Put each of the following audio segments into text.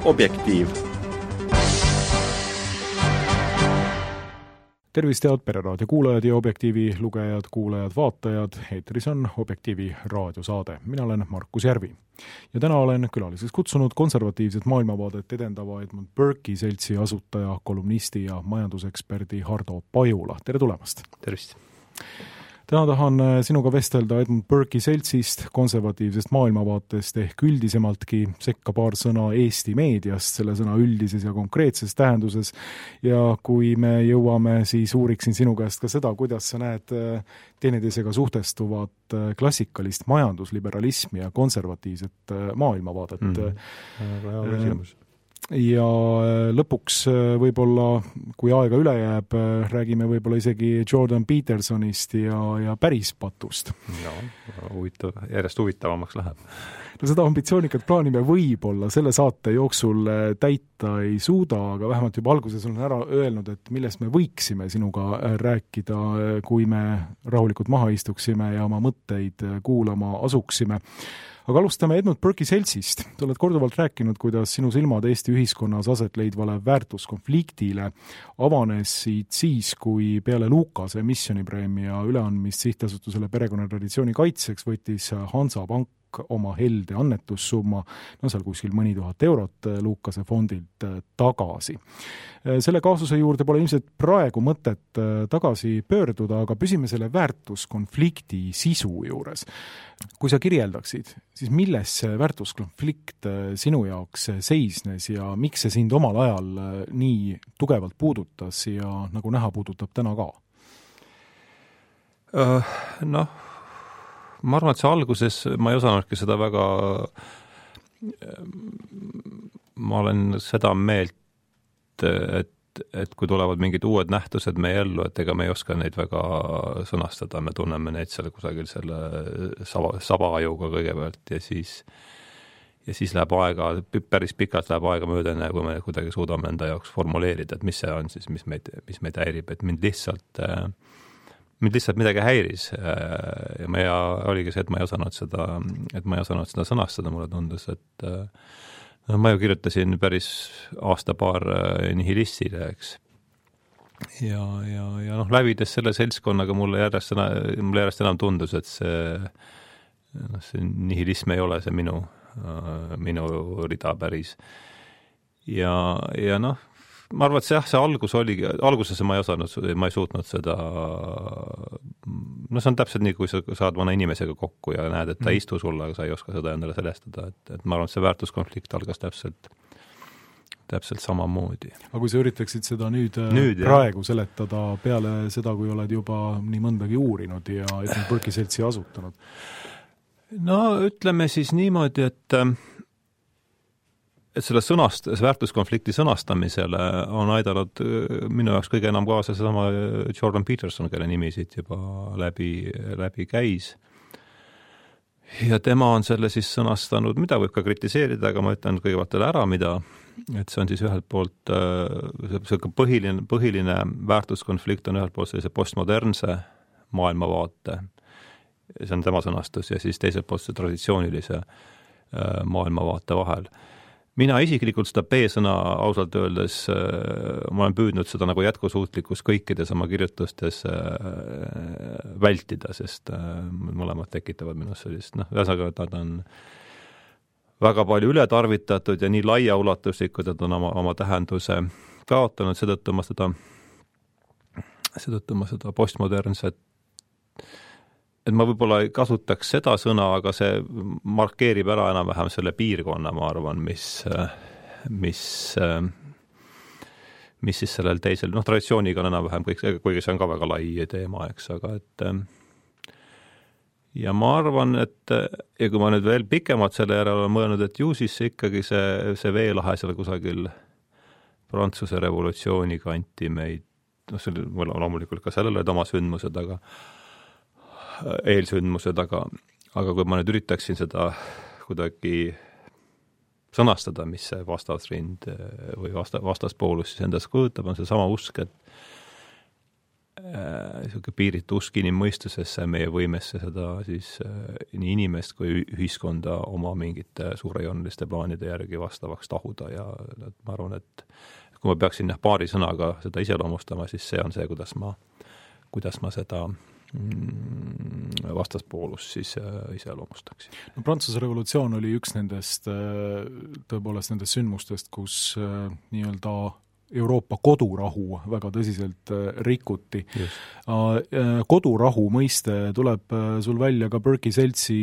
Objektiiv. Tervist head Pereraadio kuulajad ja Objektiivi lugejad, kuulajad, vaatajad. Eetris on Objektiivi raadiosaade. Mina olen Markus Järvi. Ja täna olen külaliseks kutsunud konservatiivset maailmavaadet edendava Edmund Burke'i seltsi asutaja, kolumnisti ja majanduseksperdi Hardo Pajula. Tere tulemast! Tervist! Täna tahan sinuga vestelda Edmund Burke'i seltsist, konservatiivsest maailmavaatest ehk üldisemaltki, sekka paar sõna Eesti meediast, selle sõna üldises ja konkreetses tähenduses. Ja kui me jõuame, siis uuriksin sinu käest ka seda, kuidas sa näed teineteisega suhtestuvat klassikalist majandusliberalismi ja konservatiivset maailmavaadet. Väga hea küsimus. Ja lõpuks võib-olla, kui aega üle jääb, räägime võib-olla isegi Jordan Petersonist ja päris patust. Järjest huvitavamaks läheb. No seda ambitsioonikat plaani me võib-olla selle saate jooksul täita ei suuda, aga vähemalt juba alguses olen ära öelnud, et millest me võiksime sinuga rääkida, kui me rahulikult maha istuksime ja oma mõtteid kuulama asuksime. Aga alustame Edmund Burke'i seltsist. Sa oled korduvalt rääkinud, kuidas sinu silmad Eesti ühiskonnas aset leidvale väärtuskonfliktile avanesid siis, kui peale Lukase missionipreemia üleandmist sihtasutusele perekonnatraditsiooni kaitseks võttis Hansapank oma helde annetussumma, seal kuskil mõni tuhat eurot Lukase fondilt tagasi. Selle kaasuse juurde pole ilmselt praegu mõtet tagasi pöörduda, aga püsime selle väärtuskonflikti sisu juures. Kui sa kirjeldaksid, siis milles see väärtuskonflikt sinu jaoks seisnes ja miks see sind omal ajal nii tugevalt puudutas ja nagu näha puudutab täna ka? Ma arvan, et see alguses ma ei osanudki seda väga, ma olen seda meelt, et kui tulevad mingid uued nähtused meie ellu, et ega me ei oska neid väga sõnastada, me tunneme neid seal kusagil selle sabaajuga kõigepealt ja siis läheb aega, päris pikalt läheb aega mööda, kui me kuidagi suudame enda jaoks formuleerida, et mis see on siis, mis meid häirib, et mind lihtsalt midagi häiris ja oligi see, et ma ei osanud seda sõnastada, mulle tundus, et ma ju kirjutasin päris aasta-paar nihilistile, eks. Ja läbides selle seltskonnaga mulle järjest enam tundus, et see nihilism ei ole see minu rida päris. Ja ma arvan, et see algus oligi, alguses ma ei suutnud seda, see on täpselt nii, kui sa saad vana inimesega kokku ja näed, et ta istu sulle, aga sa ei oska seda endale selestada, et ma arvan, et see väärtuskonflikt algas täpselt samamoodi. Aga kui sa üritaksid seda nüüd praegu seletada peale seda, kui oled juba nii mõndagi uurinud ja Edmund Burke'i seltsi asutanud? No ütleme siis niimoodi, et selle väärtuskonflikti sõnastamisele on aidanud minu jaoks kõige enam kaasa seesama Jordan Peterson, kelle nimi siit juba läbi käis. Ja tema on selle siis sõnastanud, mida võib ka kritiseerida, aga ma ütlen kõigepealt ära, et see on siis ühelt poolt põhiline väärtuskonflikt on ühelt poolt sellise postmodernse maailmavaate, see on tema sõnastus, ja siis teiselt poolt see traditsioonilise maailmavaate vahel. Mina isiklikult seda B-sõna ausalt öeldes, ma olen püüdnud seda nagu jätkusuutlikkus kõikides oma kirjutustes vältida, sest mõlemad tekitavad minust sellist, ühesõnaga, et nad on väga palju ületarvitatud ja nii laiaulatuslikud, et on oma tähenduse kaotanud, seetõttu ma seda postmodernset, et ma võib-olla ei kasutaks seda sõna, aga see markeerib ära enam-vähem selle piirkonna, ma arvan, mis siis sellel teisel, traditsiooniga on enam-vähem kõik, kuigi see on ka väga lai teema, eks, aga ja ma arvan, et ja kui ma nüüd veel pikemalt selle järele olen mõelnud, et ju siis ikkagi see veelahe seal kusagil Prantsuse revolutsiooni kanti meid, loomulikult ka sellele oma sündmused, eelsündmused, aga kui ma nüüd üritaksin seda kuidagi sõnastada, mis see vastasrind või vastaspoolus siis endas kujutab, on see sama usk, piiritu usk inimmõistusesse, meie võimesse seda siis nii inimest kui ühiskonda oma mingite suurejooneliste plaanide järgi vastavaks tahuda ja ma arvan, et kui ma peaksin paari sõnaga seda iseloomustama, siis see on see, kuidas ma seda vastaspoolus siis iseloomustaksin. No, Prantsuse revolutsioon oli üks nendest tõepoolest nendest sündmustest, kus nii-öelda Euroopa kodurahu väga tõsiselt rikuti. Kodurahu mõiste tuleb sul välja ka Berkey seltsi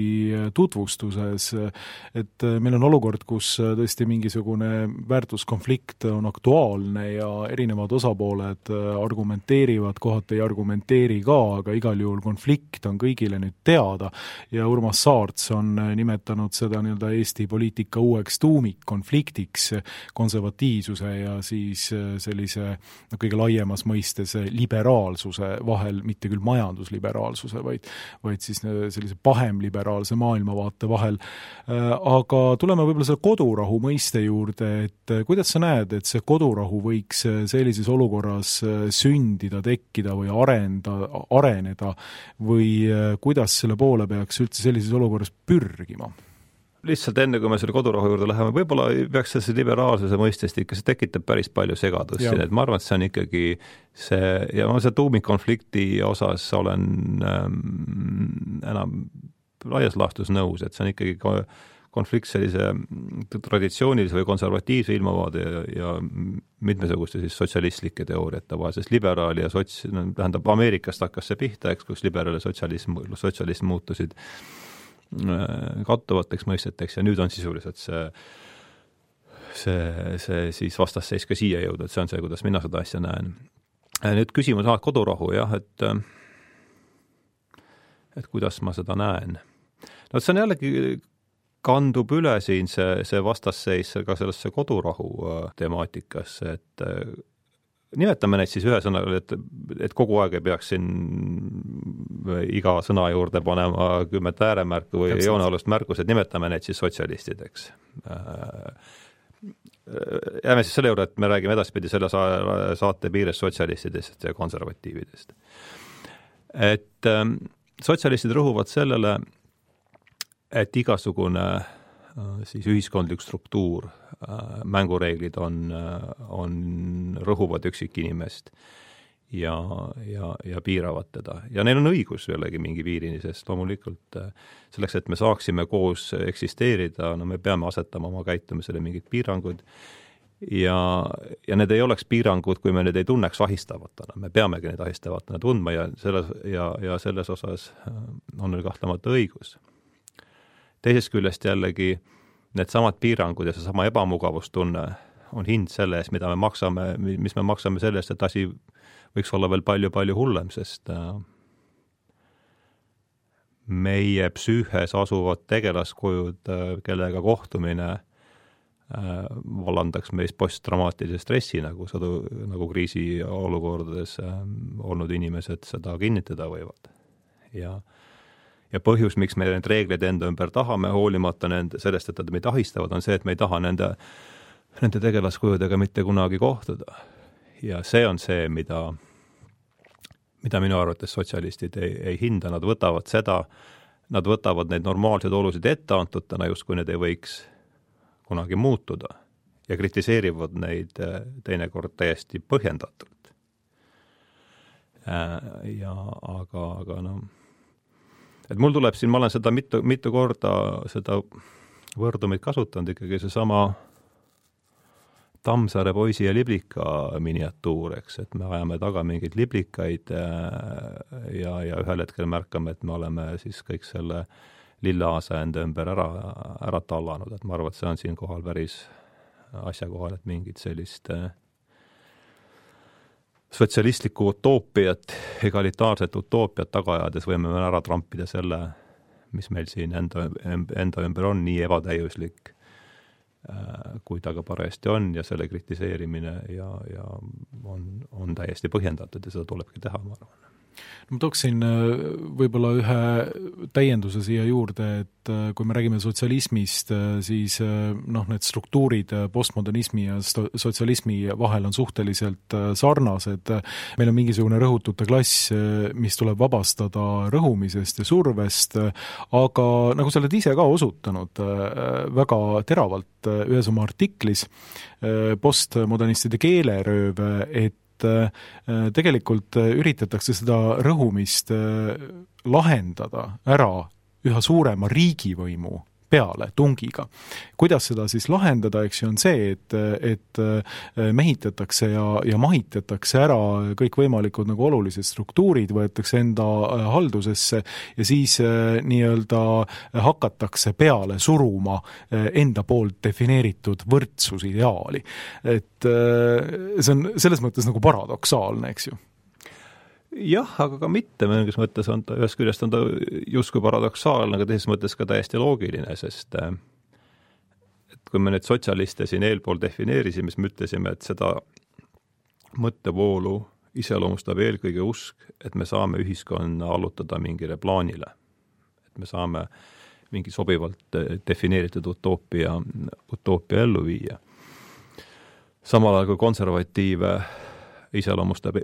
tutvustuses, et meil on olukord, kus tõesti mingisugune väärtuskonflikt on aktuaalne ja erinevad osapooled argumenteerivad, kohati ei argumenteeri ka, aga igal juhul konflikt on kõigile nüüd teada ja Urmas Saarts on nimetanud seda nii-öelda Eesti poliitika uueks tuumikkonfliktiks konservatiivsuse ja siis sellise kõige laiemas mõistes liberaalsuse vahel, mitte küll majandusliberaalsuse, vaid siis sellise pahemliberaalse maailmavaate vahel. Aga tuleme võib-olla selle kodurahu mõiste juurde, et kuidas sa näed, et see kodurahu võiks sellises olukorras sündida, tekkida või areneda või kuidas selle poole peaks üldse sellises olukorras pürgima? Lihtsalt enne, kui me selle kodurahu juurde läheme, võib-olla peaks see liberaalsuse mõistest ikka, see tekitab päris palju segadust siin, et ma arvan, et see on ikkagi see, ja ma see tuumikkonflikti osas olen enam laias laastus nõus, et see on ikkagi konflikt sellise traditsioonilise või konservatiivse ilmavaade ja mitmesuguste siis sotsialistlike teooriate vahel, sest liberaali ja tähendab Ameerikast hakkas see pihta, eks, kus liberaal ja sotsialism muutusid kattuvateks mõisteteks ja nüüd on sisuliselt see siis vastasseis ka siia jõuda, et see on see, kuidas mina seda asja näen. Nüüd küsimus kodurahu, jah, et kuidas ma seda näen. No see on jällegi kandub üle siin see vastasseis ka sellesse kodurahu temaatikasse, et nimetame neid siis ühe sõnaga, et kogu aeg ei peaks siin iga sõna juurde panema 10 ääremärku või joonealust märkus, et nimetame neid siis sotsialistideks. Jääme siis selle juurde, et me räägime edaspidi selle saate piires sotsialistidest ja konservatiividest. Et sotsialistid rõhuvad sellele, et igasugune siis ühiskondlik struktuur, mängureeglid on rõhuvad üksikinimest ja piiravad teda. Ja neil on õigus jällegi mingi piirini, sest loomulikult selleks, et me saaksime koos eksisteerida, no me peame asetama oma käitumisele mingid piirangud ja need ei oleks piirangud, kui me need ei tunneks ahistavatena. Me peamegi neid ahistavatena tundma ja selles osas on neil kahtlemata õigus. Teisest küljest jällegi need samad piirangud ja see sama ebamugavustunne on hind selle eest, mis me maksame selle eest, et asi võiks olla veel palju-palju hullem, sest meie psüühes asuvad tegelaskujud, kellega kohtumine vallandaks meis postdramaatilise stressi, nagu kriisi olukordades olnud inimesed seda kinnitada võivad. Ja põhjus, miks me need reegleid enda ümber tahame, hoolimata sellest, et nad meid ahistavad, on see, et me ei taha nende tegelaskujudega mitte kunagi kohtuda. Ja see on see, mida minu arvates sotsialistid ei hinda. Nad võtavad neid normaalseid olusid etteantutena, just kui need ei võiks kunagi muutuda ja kritiseerivad neid teinekord täiesti põhjendatult. Aga no et mul tuleb siin, ma olen seda mitu korda seda võrdumit kasutanud ikkagi seesama Tammsaare poisi ja liblika miniatuur, eks, et me ajame taga mingeid liblikaid ja ühel hetkel märkame, et me oleme siis kõik selle lillaasa enda ümber ära tallanud, et ma arvan, et see on siin kohal päris asjakohal, et mingid sellist sotsialistlikku utoopiat, egalitaarset utoopiat tagaajades võime ära trampida selle, mis meil siin enda ümber on, nii ebatäiuslik, kui ta ka parajasti on ja selle kritiseerimine ja on täiesti põhjendatud ja seda tulebki teha, ma arvan. Ma tooksin võib-olla ühe täienduse siia juurde, et kui me räägime sotsialismist, siis need struktuurid postmodernismi ja sotsialismi vahel on suhteliselt sarnased. Meil on mingisugune rõhutute klass, mis tuleb vabastada rõhumisest ja survest, aga nagu sa oled ise ka osutanud väga teravalt ühes oma artiklis postmodernistide keelerööv, et tegelikult üritatakse seda rõhumist lahendada ära üha suurema riigivõimu peale tungiga. Kuidas seda siis lahendada, eks ju, on see, et mehitatakse ja mahitatakse ära kõikvõimalikud nagu olulised struktuurid, võetakse enda haldusesse ja siis nii-öelda hakatakse peale suruma enda poolt defineeritud võrdsusideaali. Et see on selles mõttes nagu paradoksaalne, eks ju. Jah, aga ka mitte, mõnes mõttes on ta, ühest küljest on ta justkui paradoksaalne, aga teises mõttes ka täiesti loogiline, sest et kui me nüüd sotsialiste siin eelpool defineerisime, siis me ütlesime, et seda mõttevoolu iseloomustab eelkõige usk, et me saame ühiskonna allutada mingile plaanile. Et me saame mingi sobivalt defineeritud utoopia ellu viia. Samal ajal kui konservatiive iseloomustab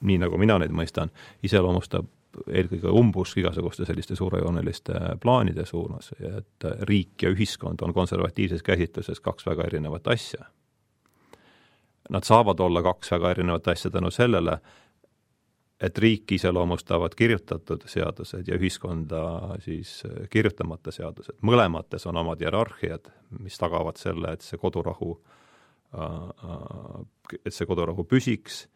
nii nagu mina neid mõistan, iseloomustab eelkõige umbusk igasuguste selliste suurejooneliste plaanide suunas, et riik ja ühiskond on konservatiivses käsitluses kaks väga erinevat asja. Nad saavad olla kaks väga erinevat asja tänu sellele, et riik iseloomustavad kirjutatud seadused ja ühiskonda siis kirjutamata seadused. Mõlemates on omad hierarhiad, mis tagavad selle, et see kodurahu püsiks,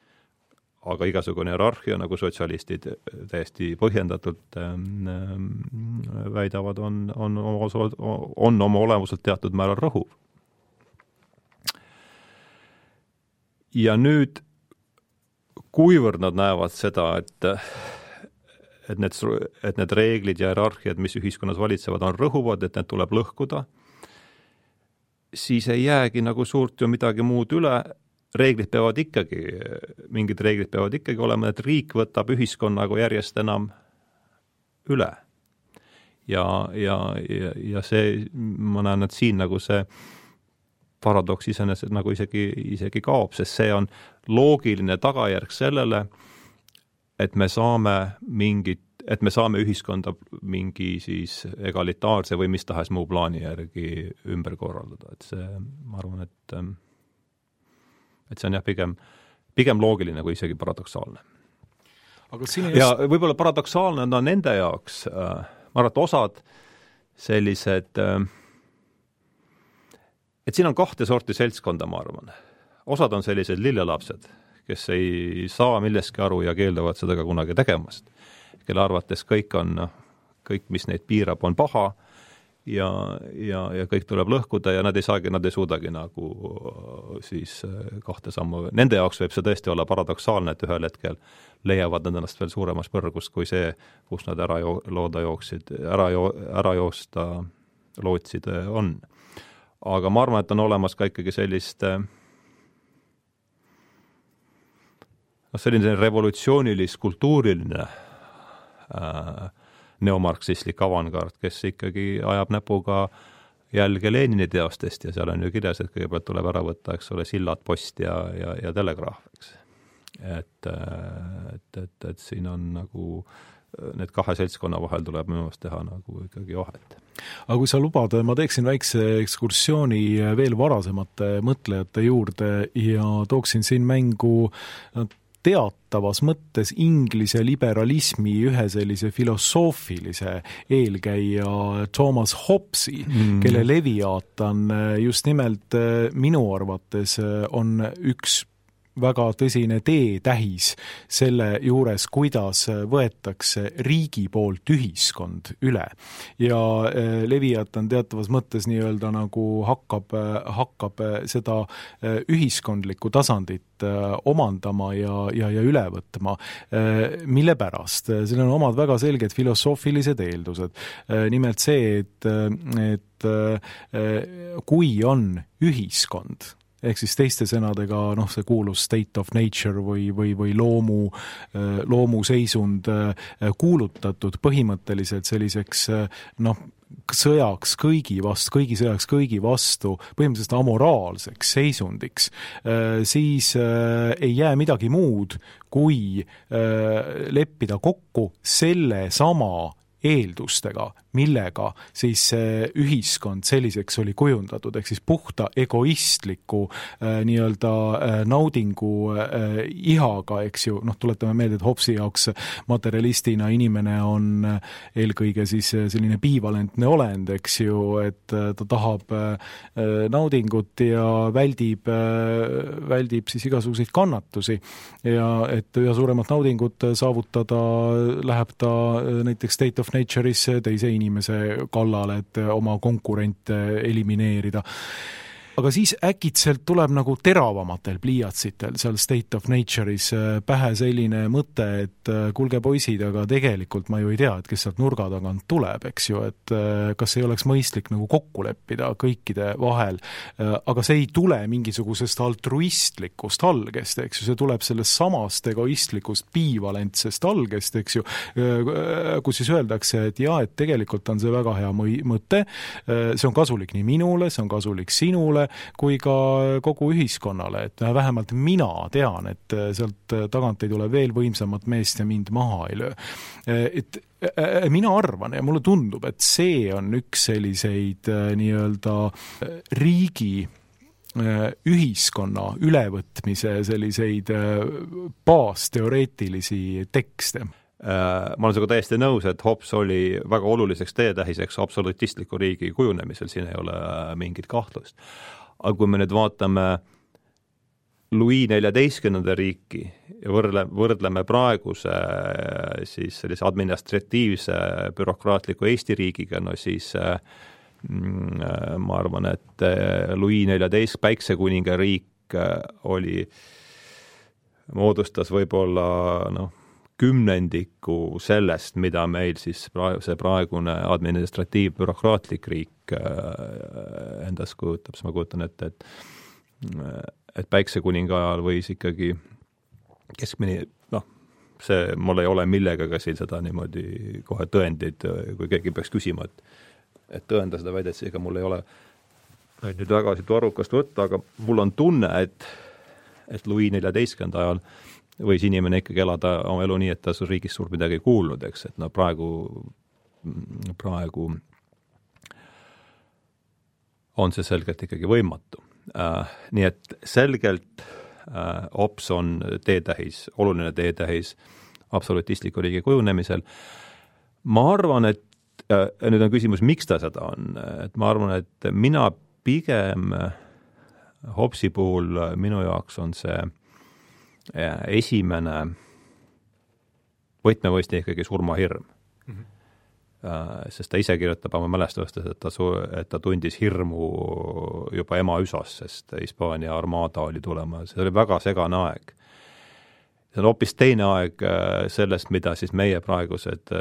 aga igasugune hierarhia, nagu sotsialistid täiesti põhjendatult väidavad, on oma olemuselt teatud määral rõhuv. Ja nüüd, kuivõrd nad näevad seda, et need reeglid ja hierarhiad, mis ühiskonnas valitsevad, on rõhuvad, et need tuleb lõhkuda, siis ei jäägi nagu suurt ju midagi muud üle. Mingid reeglid peavad ikkagi olema, et riik võtab ühiskonnaga järjest enam üle. Ja see, ma näen, et siin nagu see paradoks iseenesest nagu isegi kaob, sest see on loogiline tagajärg sellele, et me saame ühiskonda mingi siis egalitaarse või mis tahes muu plaani järgi ümber korraldada. Et see, ma arvan, et see on jah pigem loogiline kui isegi paradoksaalne. Aga ja võib-olla paradoksaalne on nende jaoks, ma arvan, et osad sellised, et siin on kahte sorti seltskonda, ma arvan. Osad on sellised lillelapsed, kes ei saa millestki aru ja keelduvad seda ka kunagi tegemast, kelle arvates kõik, mis neid piirab, on paha, ja kõik tuleb lõhkuda ja nad ei suudagi nagu siis kahte sammu. Nende jaoks võib see tõesti olla paradoksaalne, et ühel hetkel leiavad nad ennast veel suuremas põrgus kui see, kus nad ära joosta lootsid on. Aga ma arvan, et on olemas ka ikkagi selline revolutsioonilis kultuuriline neomarksistlik avangard, kes ikkagi ajab näpuga jälge Lenini teostest ja seal on ju kirjas, et kõigepealt tuleb ära võtta, eks ole, sillad, post ja telegraaf, eks. Et siin on nagu need kahe seltskonna vahel tuleb minu meelest teha nagu ikkagi vahet. Aga kui sa lubad, ma teeksin väikse ekskursiooni veel varasemate mõtlejate juurde ja tooksin siin mängu teatavas mõttes inglise liberalismi ühe sellise filosoofilise eelkäija Thomas Hobbesi, kelle Leviatan just nimelt minu arvates on üks väga tõsine teetähis selle juures, kuidas võetakse riigi poolt ühiskond üle. Ja Leviatan teatavas mõttes nii-öelda nagu hakkab seda ühiskondlikku tasandit omandama ja üle võtma. Mille pärast? Seal on omad väga selged filosoofilised eeldused. Nimelt see, et kui on ühiskond, ehk siis teiste sõnadega see kuulus state of nature või loomuseisund kuulutatud põhimõtteliselt selliseks sõjaks kõigi vastu, põhimõtteliselt amoraalseks seisundiks, siis ei jää midagi muud, kui leppida kokku selle sama eeldustega, millega siis ühiskond selliseks oli kujundatud, ehk siis puhta egoistliku nii-öelda naudingu ihaga, eks ju, tuletame meelde, et Hobbesi jaoks materialistina inimene on eelkõige siis selline bivalentne olend, eks ju, et ta tahab naudingut ja väldib siis igasuguseid kannatusi ja et üha suuremat naudingut saavutada läheb ta näiteks state of nature'is teise inimese kallale, et oma konkurente elimineerida. Aga siis äkitselt tuleb nagu teravamatel pliiatsitel seal state of nature'is pähe selline mõte, et kuulge poisid, aga tegelikult ma ju ei tea, et kes sealt nurga tagant tuleb, eks ju, et kas ei oleks mõistlik nagu kokku leppida kõikide vahel, aga see ei tule mingisugusest altruistlikust algest, eks ju, see tuleb sellest samast egoistlikust bivalentsest algest, eks ju, kus siis öeldakse, et jaa, et tegelikult on see väga hea mõte, see on kasulik nii minule, see on kasulik sinule, kui ka kogu ühiskonnale, et vähemalt mina tean, et sealt tagant ei tule veel võimsamat meest ja mind maha ei löö. Et mina arvan ja mulle tundub, et see on üks selliseid nii-öelda riigi ühiskonna ülevõtmise selliseid baasteoreetilisi tekste. Ma olen sinuga täiesti nõus, et Hobbes oli väga oluliseks teetähiseks absolutistliku riigi kujunemisel, siin ei ole mingit kahtlust. Aga kui me nüüd vaatame Louis XIV riiki ja võrdleme praeguse siis sellise administratiivse bürokraatliku Eesti riigiga, siis ma arvan, et Louis XIV päiksekuninga riik moodustas võib-olla kümnendiku sellest, mida meil siis see praegune administratiiv-bürokraatlik riik endas kujutab. Ma kujutan ette, et päiksekuninga ajal võis ikkagi keskmine, see mul ei ole millegagi siin seda niimoodi kohe tõendid, kui keegi peaks küsima, et tõenda seda väidet, ega mul ei ole nüüd väga siit arvukast võtta, aga mul on tunne, et Louis XIV ajal võis inimene ikkagi elada oma elu nii, et ta riigist suurt midagi ei kuulnud, eks, et praegu on see selgelt ikkagi võimatu. Nii et selgelt Hobbes on teetähis, oluline teetähis absolutistliku riigi kujunemisel. Ma arvan, et nüüd on küsimus, miks ta seda on. Et ma arvan, et mina pigem Hobbesi puhul minu jaoks on see esimene võtmevõistne ikkagi surmahirm. Sest ta ise kirjutab oma mälestustes, et ta tundis hirmu juba ema üsas, sest Hispaania armaada oli tulema. See oli väga segane aeg. See on hoopis teine aeg sellest, mida siis meie praegused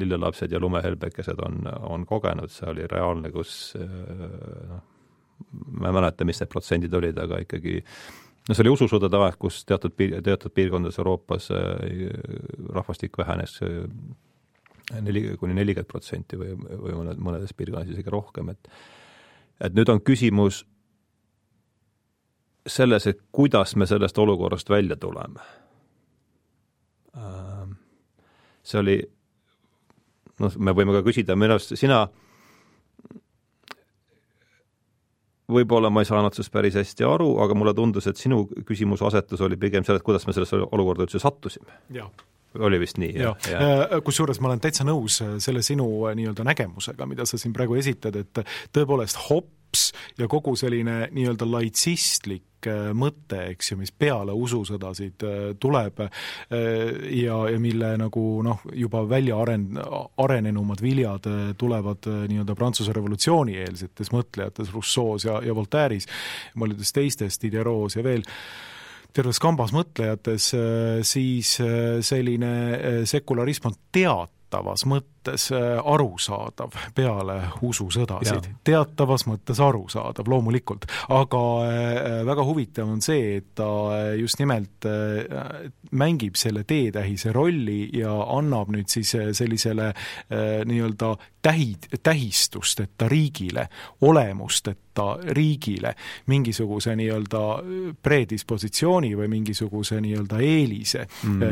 lillelapsed ja lumehelbekesed on kogenud. See oli reaalne, kus ma ei mäleta, mis need protsendid olid, aga ikkagi see oli ususõdade aeg, kus teatud piirkondades Euroopas rahvastik vähenes 4–40% või mõnedes piirkondades isegi rohkem. Et nüüd on küsimus selles, et kuidas me sellest olukorrast välja tuleme. See oli, me võime ka küsida, sina võib-olla ma ei saanud sellest päris hästi aru, aga mulle tundus, et sinu küsimuse asetus oli pigem selle, et kuidas me selles olukorda üldse sattusime. Jah. Oli vist nii. Kusjuures ma olen täitsa nõus selle sinu nii-öelda nägemusega, mida sa siin praegu esitad, et tõepoolest Hobbes ja kogu selline nii-öelda laitsistlik mõte, eks ju, mis peale ususõdasid tuleb ja mille nagu juba välja arenenumad viljad tulevad nii-öelda Prantsuse revolutsiooni eelsetes mõtlejates Rousseau's ja Voltaire'is, mõnedes teistes, Diderot's ja veel terves kambas mõtlejates, siis selline sekularism on teatavas mõttes mõttes arusaadav peale ususõdasid. Teatavas mõttes arusaadav, loomulikult. Aga väga huvitav on see, et ta just nimelt mängib selle teetähise rolli ja annab nüüd siis sellisele nii-öelda tähistusteta riigile, olemusteta riigile mingisuguse nii-öelda predispositsiooni või mingisuguse nii-öelda eelise,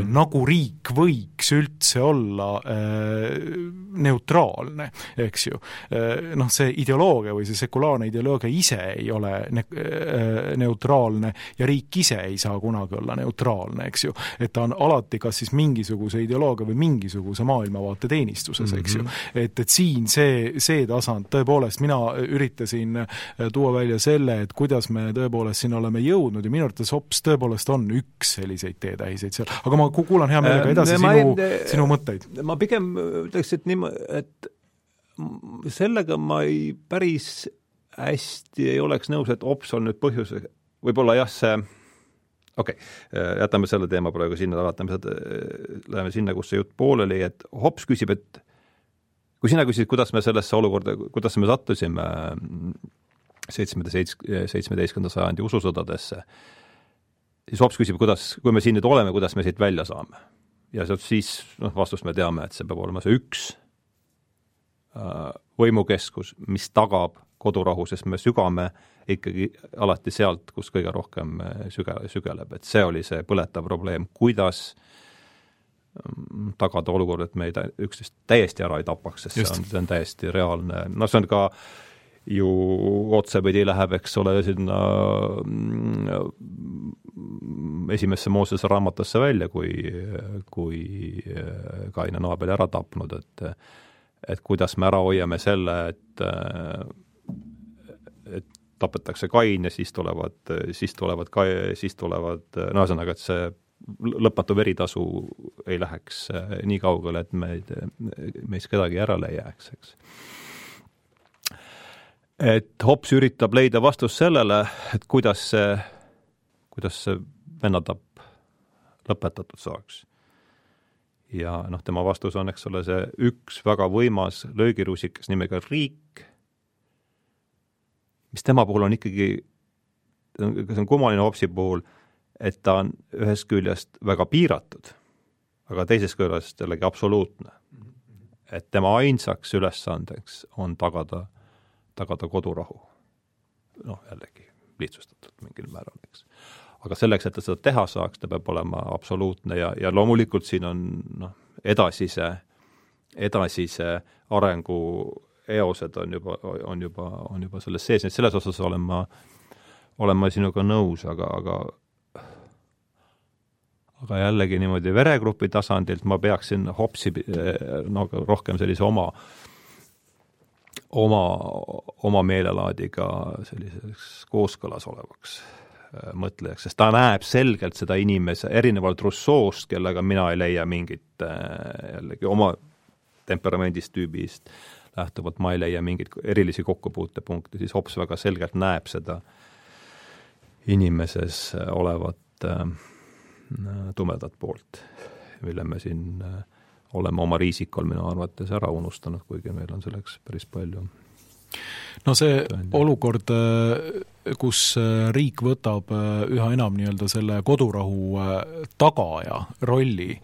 nagu riik võiks üldse olla neutraalne, eks ju. Noh, see ideoloogia või see sekulaarne ideoloogia ise ei ole neutraalne ja riik ise ei saa kunagi olla neutraalne, eks ju. Et ta on alati kas siis mingisuguse ideoloogia või mingisuguse maailmavaate teenistuses, eks ju. Et siin see tasand, tõepoolest mina üritasin tuua välja selle, et kuidas me tõepoolest siin oleme jõudnud ja minu arvates hops tõepoolest on üks selliseid teetähiseid seal. Aga ma kuulan hea meelega edasi sinu mõtteid. Ma pigem ütleks, et sellega ma päris hästi ei oleks nõus, et hops on nüüd põhjus, võib-olla jah see jätame selle teema praegu sinna, läheme sinna, kus see jutt pooleli, et hops küsib, et kui sina küsid, kuidas me sellesse olukorda, kuidas me sattusime 17. sajandi ususõdadesse, siis hops küsib, kui me siin nüüd oleme, kuidas me siit välja saame. Ja siis vastust me teame, et see peab olema see üks võimukeskus, mis tagab kodurahu, sest me sügame ikkagi alati sealt, kus kõige rohkem sügeleb. Et see oli see põletav probleem, kuidas tagada olukord, et me üksteist täiesti ära ei tapaks, sest see on täiesti reaalne. No see on ka ju otsepidi läheb, eks ole, sinna esimesse Moosese raamatusse välja, kui Kain on Aabeli ära tapnud, et kuidas me ära hoiame selle, et tapetakse Kain ja siis tulevad ühesõnaga, et see lõpmatu veritasu ei läheks nii kaugele, et meist kedagi ära ei jääks, eks. Et hops üritab leida vastust sellele, et kuidas see vennatapp lõpetatud saaks. Ja tema vastus on, eks ole, see üks väga võimas löögirusikas nimega riik, mis tema puhul on ikkagi, see on kummaline hopsi puhul, et ta on ühest küljest väga piiratud, aga teisest küljest jällegi absoluutne. Et tema ainsaks ülesandeks on tagada kodurahu. Jällegi lihtsustatult mingil määral, eks. Aga selleks, et ta seda teha saaks, ta peab olema absoluutne ja loomulikult siin on edasise arengu eosed on juba selles sees, et selles osas olen ma sinuga nõus, aga jällegi niimoodi veregrupi tasandilt ma peaksin hopsi rohkem sellise oma meelelaadiga selliseks kooskõlas olevaks mõtlejaks, sest ta näeb selgelt seda inimese, erinevalt Rousseau'st, kellega mina ei leia mingit jällegi oma temperamendist tüübist lähtuvalt, ma ei leia mingit erilisi kokkupuutepunkte, siis hops väga selgelt näeb seda inimeses olevat tumedat poolt, mille me siin oleme oma riisikol minu arvates ära unustanud, kuigi meil on selleks päris palju. No see olukord, kus riik võtab üha enam nii-öelda selle kodurahu tagaja rolli,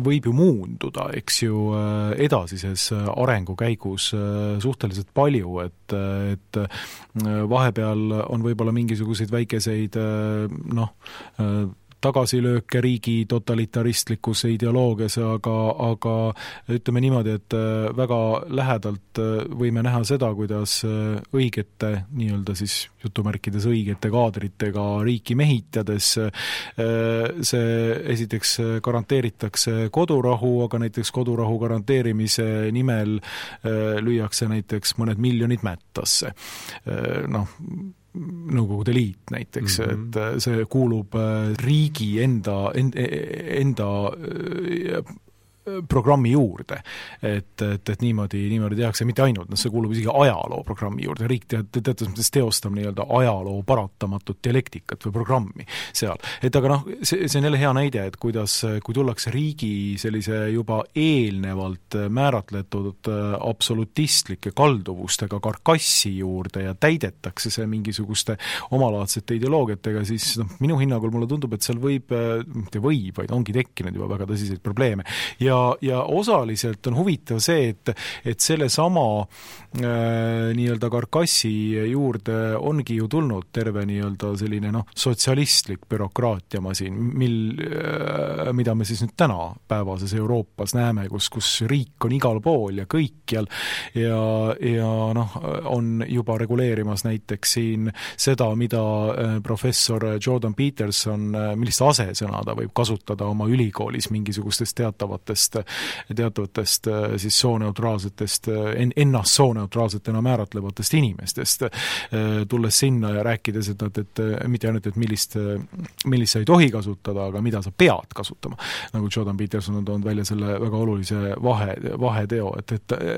võib ju muunduda, eks ju, edasises arengu käigus suhteliselt palju, et vahepeal on võib-olla mingisuguseid väikeseid tagasilööke riigi totalitaristlikus ideoloogias, aga ütleme niimoodi, et väga lähedalt võime näha seda, kuidas õigete, nii-öelda siis jutumärkides õigete kaadritega riiki mehitades see esiteks garanteeritakse kodurahu, aga näiteks kodurahu garanteerimise nimel lüüakse näiteks mõned miljonid mättasse. Nõukogude Liit näiteks, et see kuulub riigi enda programmi juurde, et niimoodi tehakse, mitte ainult, see kuulub isegi ajaloo programmi juurde, riik teatud mõttes teostab nii-öelda ajaloo paratamatut dialektikat või programmi seal. Et aga see on jälle hea näide, et kui tullakse riigi sellise juba eelnevalt määratletud absolutistlike kalduvustega karkassi juurde ja täidetakse see mingisuguste omalaadsete ideoloogiatega, siis minu hinnangul mulle tundub, et seal mitte vaid ongi tekkinud juba väga tõsiseid probleeme. Ja osaliselt on huvitav see, et selle sama nii-öelda karkassi juurde ongi ju tulnud terve nii-öelda selline sotsialistlik bürokraatiamasin, mida me siis nüüd tänapäevases Euroopas näeme, kus riik on igal pool ja kõikjal ja on juba reguleerimas näiteks siin seda, mida professor Jordan Peterson, millist asesõna ta võib kasutada oma ülikoolis mingisugustest teatavatest siis sooneutraalsetest, ennast sooneutraalsetena määratlevatest inimestest, tulles sinna ja rääkides, et mitte ainult, et millist sa ei tohi kasutada, aga mida sa pead kasutama. Nagu Jordan Peterson on toonud välja selle väga olulise vaheteo, et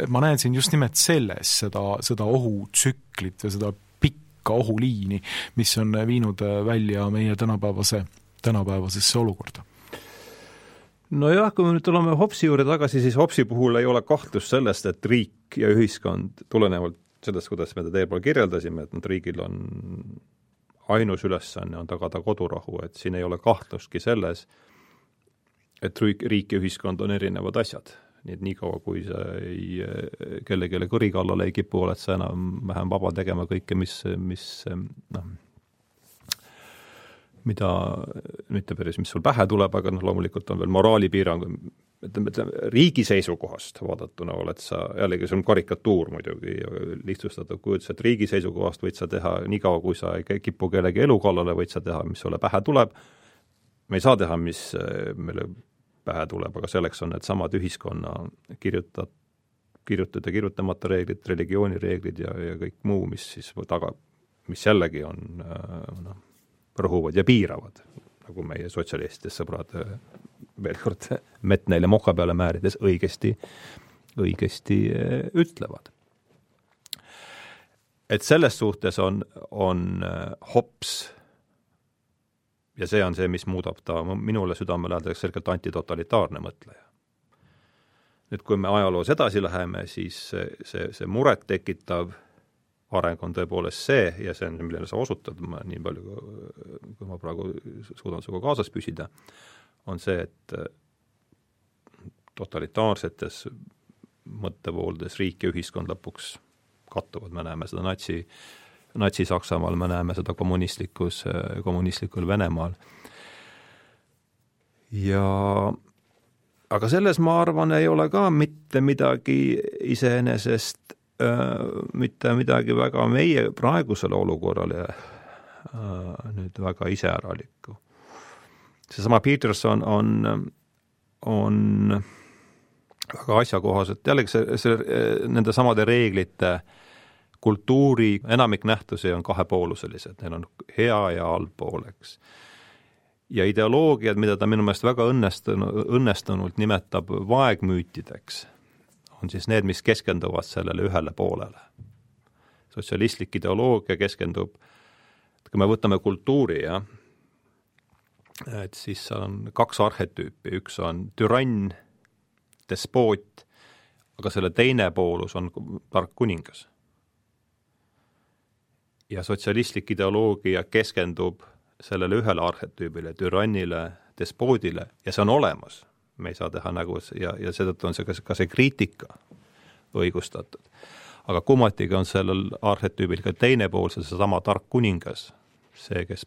ma näen siin just nimelt selles seda ohutsüklit ja seda pikka ohuliini, mis on viinud välja meie tänapäevasesse olukorda. Nojah, kui me nüüd tuleme Hobbesi juurde tagasi, siis Hobbesi puhul ei ole kahtlust sellest, et riik ja ühiskond tulenevalt sellest, kuidas me teel pool kirjeldasime, et riigil on ainus ülesanne on tagada kodurahu, et siin ei ole kahtlustki selles, et riik ja ühiskond on erinevad asjad. Nii kaua, kui sa kellelegi kõri kallale ei kipu, oled sa enam vähem vaba tegema kõike, mida mitte päris, mis sul pähe tuleb, aga loomulikult on veel moraalipiirang. Riigi seisukohast vaadatuna oled sa, jällegi see on karikatuur muidugi lihtsustatud kujutus, et riigi seisukohast võid sa teha nii kaua, kui sa ei kipu kellegi elu kallale, võid sa teha, mis sulle pähe tuleb. Me ei saa teha, mis meile pähe tuleb, aga selleks on need samad ühiskonna kirjutatud ja kirjutamata reeglid, religioonireeglid ja kõik muu, mis siis mis jällegi on rõhuvad ja piiravad, nagu meie sotsialistidest sõbrad veel kord mett neile moka peale määrides õigesti ütlevad. Et selles suhtes on Hobbes ja see on see, mis muudab ta minule südamelähedaseks selgelt antitotalitaarne mõtleja. Nüüd, kui me ajaloos edasi läheme, siis see muret tekitav areng on tõepoolest see, ja see on, millele sa osutad, nii palju, kui ma praegu suudan suga kaasas püsida, on see, et totalitaarsetes mõttevooldes riik ja ühiskond lõpuks kattuvad. Me näeme seda natsi-Saksamaal, me näeme seda kommunistlikul Venemaal. Aga selles, ma arvan, ei ole ka mitte midagi iseenesest mitte midagi väga meie praegusele olukorrale nüüd väga iseäralikku. Seesama Peterson on väga asjakohaselt, jällegi nende samade reeglite kultuuri enamik nähtusi on kahepooluselised, neil on hea ja halb pooleks. Ja ideoloogiad, mida ta minu meelest väga õnnestunult nimetab vaegmüütideks, on siis need, mis keskenduvad sellele ühele poolele. Sotsialistlik ideoloogia keskendub, kui me võtame kultuuri, et siis on kaks arhetüüpi, üks on türann, despoot, aga selle teine poolus on tark kuningas. Ja sotsialistlik ideoloogia keskendub sellele ühele arhetüübile, türannile, despoodile ja see on olemas. Me ei saa teha nägu ja seetõttu on ka see kriitika õigustatud. Aga kummatiga on sellel arhetüübil ka teine pool, see sama tark kuningas, see, kes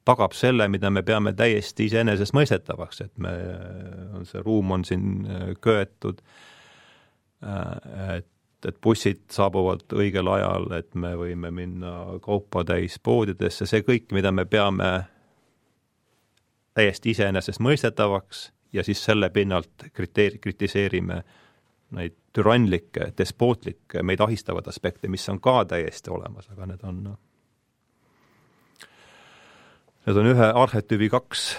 tagab selle, mida me peame täiesti iseenesest mõistetavaks, et see ruum on siin köetud, et bussid saabuvad õigel ajal, et me võime minna kaupa täis poodidesse, see kõik, mida me peame täiesti iseenesest mõistetavaks ja siis selle pinnalt kritiseerime neid türannlikke, despootlikke, meid ahistavad aspekte, mis on ka täiesti olemas, aga need on ühe arhetüübi kaks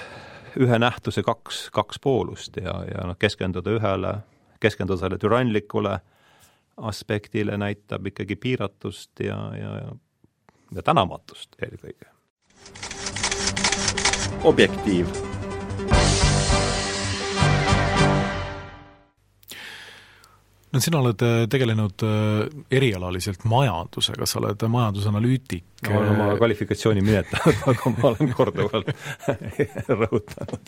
ühe nähtuse kaks poolust ja keskenduda sellele türanlikule aspektile näitab ikkagi piiratust ja tänamatust eelkõige. Objektiiv. No sina oled tegelenud erialaliselt majandusega, sa oled majandusanalüütik. Ma olen oma kvalifikatsiooni minetanud, aga ma olen korduvalt rõhutanud,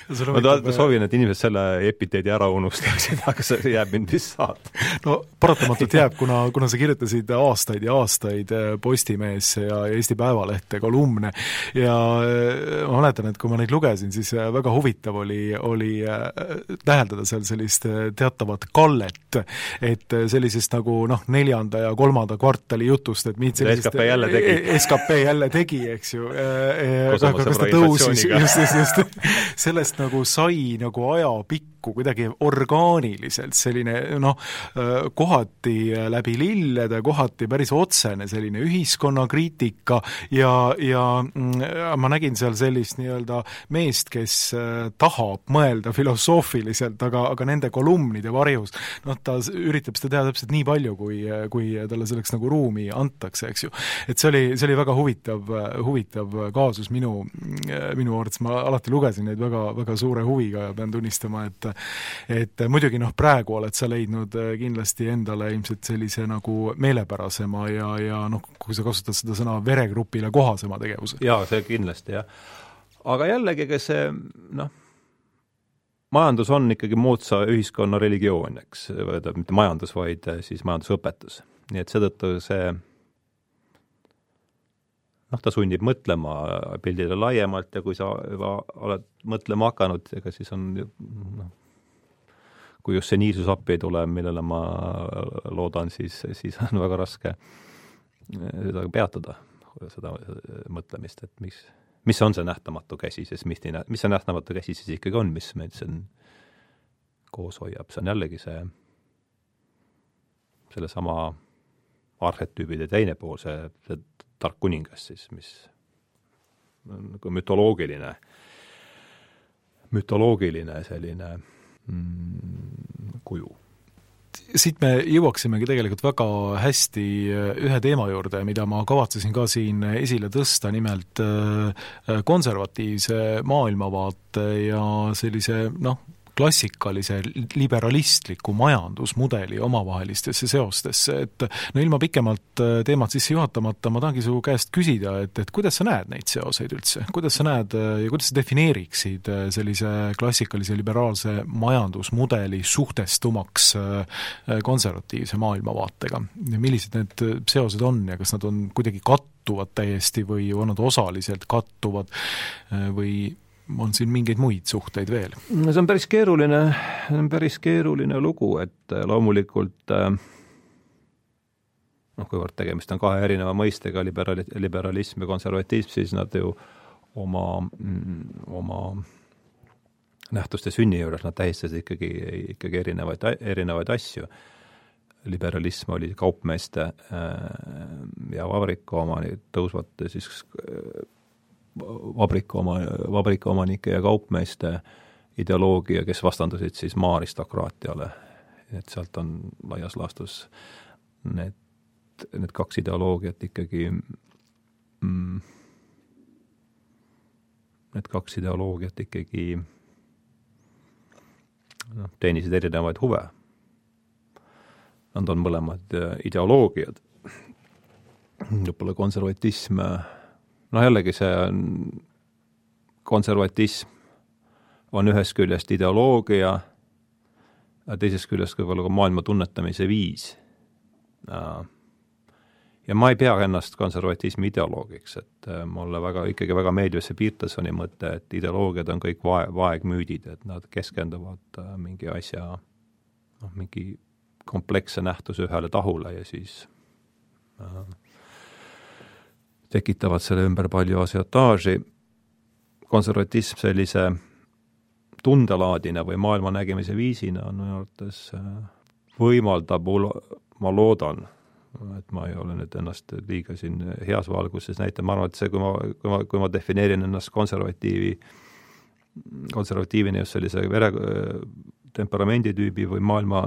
ma soovin, et inimesed selle epiteedi ära unustaksid, aga see jääb mind vist saada. No paratamatult jääb, kuna sa kirjutasid aastaid ja aastaid Postimeesse ja Eesti Päevalehte kolumne ja ma mäletan, et kui ma neid lugesin, siis väga huvitav oli täheldada seal sellist teatavat kallet, et sellisest nagu 4. ja 3. kvartali jutust, et mind sellisest SKP jälle tegi, eks ju. Kas ta tõusis, just. Sellest nagu sai nagu ajapikku kuidagi orgaaniliselt selline kohati läbi lillede, kohati päris otsene selline ühiskonnakriitika ja ma nägin seal sellist nii-öelda meest, kes tahab mõelda filosoofiliselt, aga nende kolumnide varjus, ta üritab seda teha täpselt nii palju, kui talle selleks nagu ruumi antakse, eks ju. Et see oli väga huvitav kaasus minu arvates, ma alati lugesin neid väga suure huviga ja pean tunnistama, et muidugi praegu oled sa leidnud kindlasti endale ilmselt sellise nagu meelepärasema ja kui sa kasutad seda sõna veregrupile kohasema tegevuse. Jaa, see kindlasti, jah. Aga jällegi, see majandus on ikkagi moodsa ühiskonna religioon, eks, mitte majandus, vaid siis majandusõpetus. Nii et seetõttu see ta sunnib mõtlema pildile laiemalt ja kui sa juba oled mõtlema hakanud, ega siis on kui just seniilsus appi ei tule, millele ma loodan, siis on väga raske seda peatada, seda mõtlemist, et mis on see nähtamatu käsi, sest mis see nähtamatu käsi siis ikkagi on, mis meid siin koos hoiab. See on jällegi selle sama arhetüübide teine pool, see tark kuningas siis, mis on nagu mütoloogiline selline kuju. Siit me jõuaksimegi tegelikult väga hästi ühe teema juurde, mida ma kavatsesin ka siin esile tõsta, nimelt konservatiivse maailmavaate ja sellise klassikalise liberalistliku majandusmudeli omavahelistesse seostesse, et ilma pikemalt teemat sisse juhatamata ma tahangi su käest küsida, et kuidas sa näed neid seoseid üldse? Kuidas sa näed ja kuidas sa defineeriksid sellise klassikalise liberaalse majandusmudeli suhtestumaks konservatiivse maailmavaatega? Millised need seosed on ja kas nad on kuidagi kattuvad täiesti või on nad osaliselt kattuvad või on siin mingeid muid suhteid veel? See on päris keeruline lugu, et loomulikult kuivõrd tegemist on kahe erineva mõistega, liberalism ja konservatism, siis nad ju oma nähtuste sünni juures nad tähistasid ikkagi erinevaid asju. Liberalism oli kaupmeeste ja tõusvate siis vabrikuomanike ja kaupmeeste ideoloogia, kes vastandusid siis maa-aristokraatiale. Et sealt on laias laastus need kaks ideoloogiat ikkagi teenisid erinevaid huve. Nad on mõlemad ideoloogiad. Lõpule konservatism jällegi see konservatism on ühest küljest ideoloogia ja teisest küljest võib-olla ka maailma tunnetamise viis. Ja ma ei pea ennast konservatismi ideoloogiks, et mulle ikkagi väga meeldib see Petersoni mõte, et ideoloogiad on kõik vaegmüüdid, et nad keskenduvad mingi asja, mingi kompleksse nähtuse ühele tahule ja siis tekitavad selle ümber palju asiotaaži. Konservatism sellise tundelaadina või maailma nägemise viisina on minu arvates võimaldab, ma loodan, et ma ei ole nüüd ennast liiga siin heas valguses näitan, ma arvan, et see, kui ma defineerin ennast konservatiivi konservatiivini just sellise temperamenditüübi või maailma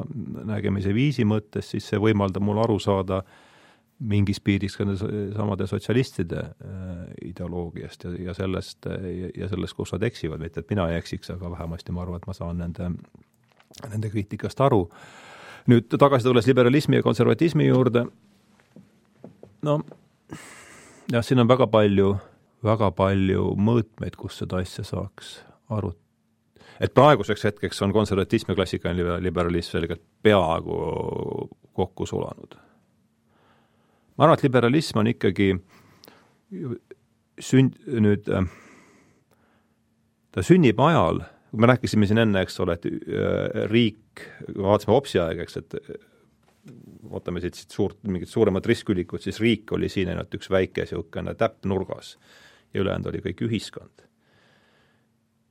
nägemise viisi mõttes, siis see võimaldab mul aru saada mingis piiris ka samade sotsialistide ideoloogiast ja sellest, kus nad eksivad, mitte et mina ei eksiks, aga vähemasti ma arvan, et ma saan nende kriitikast aru. Nüüd tagasi tulles liberalismi ja konservatismi juurde, no jah, siin on väga palju mõõtmeid, kus seda asja saaks arutada. Et praeguseks hetkeks on konservatism ja klassikaline liberalism selgelt peaaegu kokku sulanud. Ma arvan, et liberalism on ikkagi ta sünnib ajal, me rääkisime siin enne, eks ole, et riik, vaatasime Opsi aeg, eks, et vaatame siit mingid suuremad riskülikud, siis riik oli siin ainult üks väike siukene täpp nurgas ja ülejäänud oli kõik ühiskond.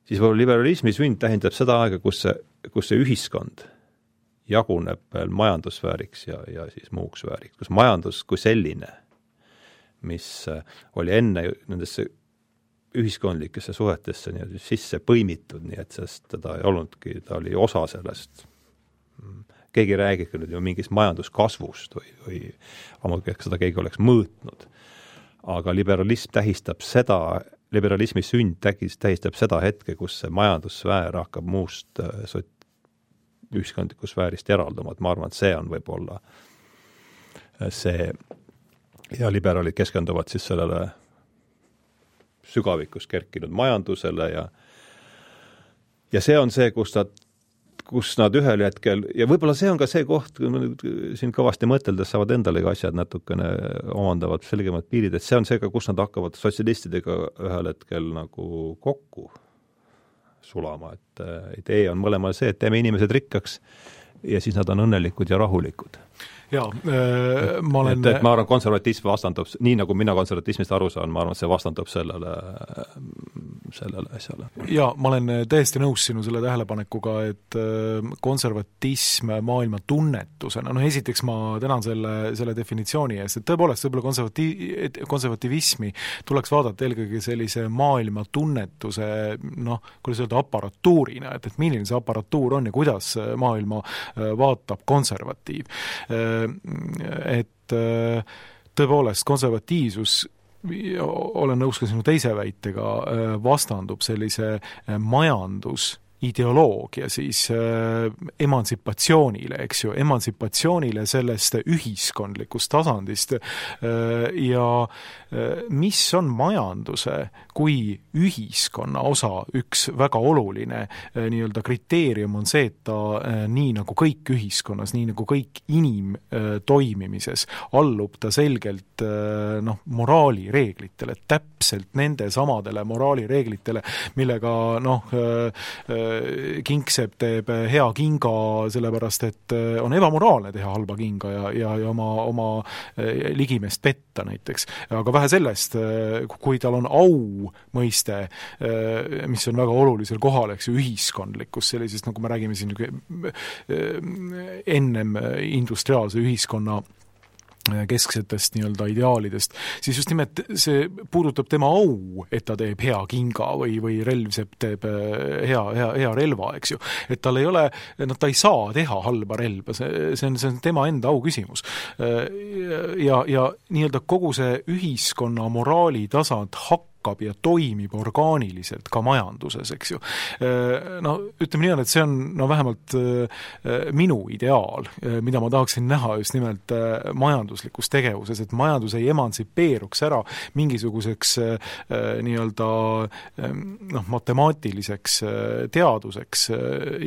Siis liberalismi sünd tähendab seda aega, kus see ühiskond jaguneb veel majandussfääriks ja siis muuks sfääriks, kus majandus kui selline, mis oli enne nendesse ühiskondlikesse suhetesse nii sisse põimitud, nii et sest teda ei olnudki, ta oli osa sellest. Keegi räägib nüüd ju mingist majanduskasvust või ammugi seda keegi oleks mõõtnud. Aga liberalismi sünd tähistab seda hetke, kus see majandussfäär hakkab muust ühiskondliku sfäärist eralduma, et ma arvan, et see on võib-olla see ja liberaalid keskenduvad siis sellele sügavikus kerkinud majandusele ja see on see, kus nad ühel hetkel ja võib-olla see on ka see koht, siin kõvasti mõteldes saavad endalegi asjad natukene omandavad selgemad piirid, et see on see ka, kus nad hakkavad sotsialistidega ühel hetkel nagu kokku sulama, et idee on mõlemal see, et teeme inimesed rikkaks ja siis nad on õnnelikud ja rahulikud. Jaa, ma olen... Et ma arvan, konservatism vastandub, nii nagu mina konservatismist aru saan, ma arvan, et see vastandub sellele asjale. Jaa, ma olen täiesti nõus sinu selle tähelepanekuga, et konservatism maailma tunnetusena, esiteks ma tänan selle definitsiooni eest, et tõepoolest võib-olla konservativismi tuleks vaadata eelkõige sellise maailma tunnetuse, kuidas öelda, aparatuurina, et milline see aparatuur on ja kuidas maailma vaatab konservatiiv. Et tõepoolest konservatiivsus, olen nõus ka sinu teise väitega, vastandub sellise majandusideoloogia siis emantsipatsioonile, eks ju, emantsipatsioonile sellest ühiskondlikust tasandist ja mis on majanduse kui ühiskonna osa üks väga oluline nii-öelda kriteerium on see, et ta nii nagu kõik ühiskonnas, nii nagu kõik toimimises allub ta selgelt moraalireeglitele, täpselt nende samadele moraalireeglitele, millega kingsepp teeb hea kinga sellepärast, et on ebamoraalne teha halba kinga ja oma ligimest petta näiteks. Aga vähe sellest, kui tal on au mõiste, mis on väga olulisel kohal, eks ju, ühiskondlikkus sellisest, nagu me räägime siin ennem industriaalse ühiskonna kesksetest nii-öelda ideaalidest, siis just nimelt see puudutab tema au, et ta teeb hea kinga või relvsepp teeb hea relva, eks ju. Et tal ei ole, ta ei saa teha halba relva, see on tema enda au küsimus. Ja nii-öelda kogu see ühiskonna moraali tasand hakkab ja toimib orgaaniliselt ka majanduses, eks ju. Ütleme nii on, et see on vähemalt minu ideaal, mida ma tahaksin näha just nimelt majanduslikus tegevuses, et majandus ei emantsipeeruks ära mingisuguseks nii-öelda matemaatiliseks teaduseks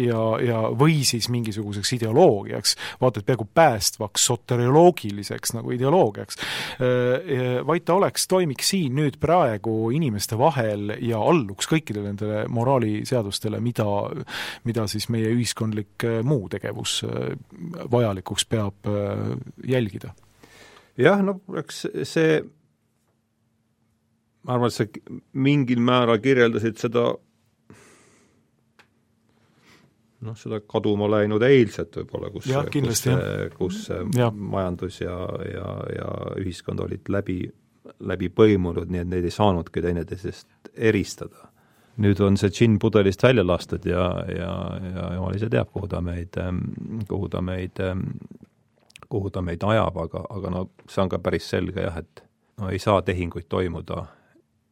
ja või siis mingisuguseks ideoloogiaks, vaata, et peaaegu päästvaks soterioloogiliseks nagu ideoloogiaks, vaid ta toimiks siin nüüd praegu inimeste vahel ja alluks kõikidele nendele moraaliseadustele, mida siis meie ühiskondlik muu tegevus vajalikuks peab jälgida. Jah, eks see, ma arvan, et sa mingil määral kirjeldasid seda kaduma läinud eilset võib-olla, kus majandus ja ühiskond olid läbi põimunud, nii et neid ei saanudki teineteisest eristada. nüüd on see džinn pudelist välja lastud ja jumal ise teab, kuhu ta meid ajab, aga no see on ka päris selge jah, et no ei saa tehinguid toimuda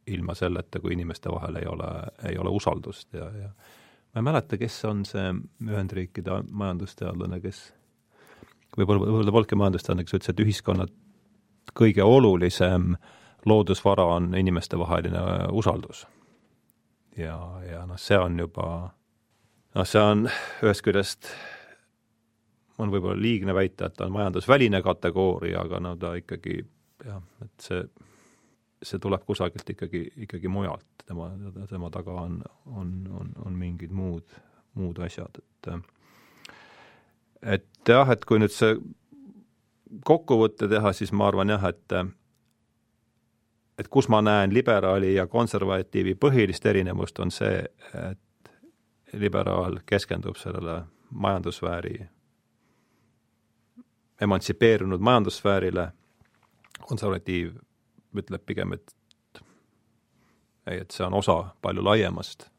ilma selleta, kui inimeste vahel ei ole usaldust ja ma ei mäleta, kes on see Ühendriikide majandusteadlane, kes võib-olla polnudki majandusteadlane, kes ütles, et ühiskonna kõige olulisem loodusvara on inimeste vaheline usaldus. Ja noh, see on juba, see on ühest küljest, on võib-olla liigne väita, et ta on majandusväline kategooria, aga no ta ikkagi, jah, et see tuleb kusagilt ikkagi mujalt, tema taga on mingid muud asjad, et jah, et kui nüüd see kokkuvõtte teha, siis ma arvan jah, et kus ma näen liberaali ja konservatiivi põhilist erinevust on see, et liberaal keskendub sellele majandussfääri, emantsipeerunud majandussfäärile, konservatiiv ütleb pigem, et see on osa palju laiemast